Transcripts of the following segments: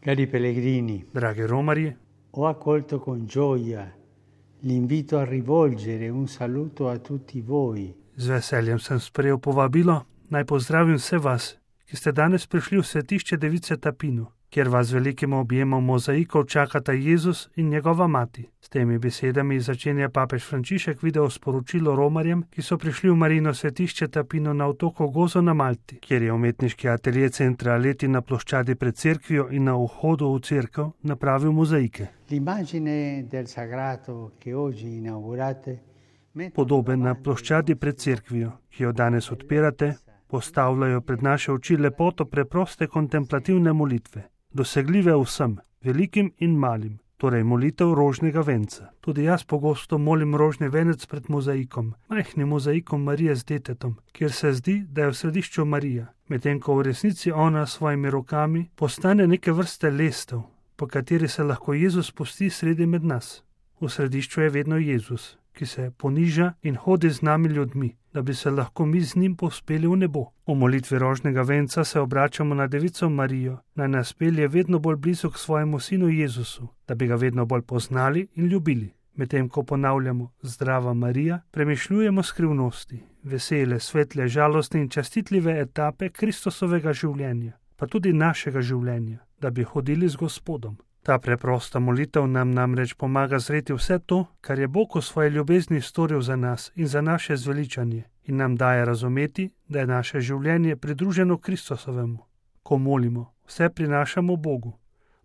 Cari pellegrini, Dragi romarji, ho accolto con gioia l'invito a rivolgere un saluto a tutti voi. z veseljem sem sprejel povabilo, naj pozdravim vse vas, ki ste danes prišli v svetišče Device Tapinu, kjer vas z velikim objemom mozaikov čakata Jezus in njegova mati. S temi besedami začenja papež Frančišek video sporočilo romarjem, ki so prišli v Marijino svetišče Tapinu na otoku Gozo na Malti, kjer je umetniški atelje Centra Leti na ploščadi pred cerkvijo in na vhodu v cerkev napravil mozaike. L'immagine del sagrato che oggi inaugurate Podobe na ploščadi pred cerkvijo, ki jo danes odpirate, postavljajo pred naše oči lepoto preproste kontemplativne molitve, dosegljive vsem, velikim in malim, torej molitev rožnega venca. Tudi jaz pogosto molim rožni venec pred mozaikom, majhnim mozaikom Marije z detetom, kjer se zdi, da je v središču Marija, medtem ko v resnici ona s svojimi rokami postane neke vrste lestev, po kateri se lahko Jezus spusti sredi med nas. V središču je vedno Jezus, ki se poniža in hodi z nami ljudmi, da bi se lahko mi z njim povzpeli v nebo. V molitvi rožnega venca se obračamo na Devico Marijo, naj nas pelje vedno bolj blizu k svojemu sinu Jezusu, da bi ga vedno bolj poznali in ljubili. Medtem ko ponavljamo Zdrava Marija, premišljujemo skrivnosti, vesele, svetle, žalostne in častitljive etape Kristusovega življenja, pa tudi našega življenja, da bi hodili z Gospodom. Ta preprosta molitev nam namreč pomaga zreti vse to, kar je Bog v svoji ljubezni storil za nas in za naše zveličanje, in nam daje razumeti, da je naše življenje pridruženo Kristusovemu. Ko molimo, vse prinašamo Bogu.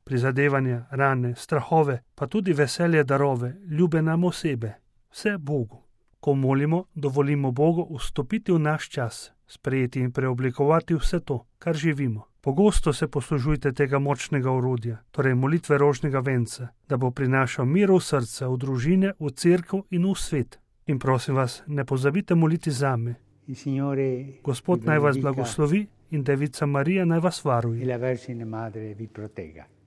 Prizadevanja, rane, strahove, pa tudi veselje darove, ljube nam osebe. Vse Bogu. Ko molimo, dovolimo Bogu vstopiti v naš čas, sprejeti in preoblikovati vse to, kar živimo. Pogosto se poslužujte tega močnega orodja, torej molitve rožnega venca, da bo prinašal mir v srce, v družine, v cerkev in v svet. In prosim vas, ne pozabite moliti zame. Gospod naj vas blagoslovi in Devica Marija naj vas varuje.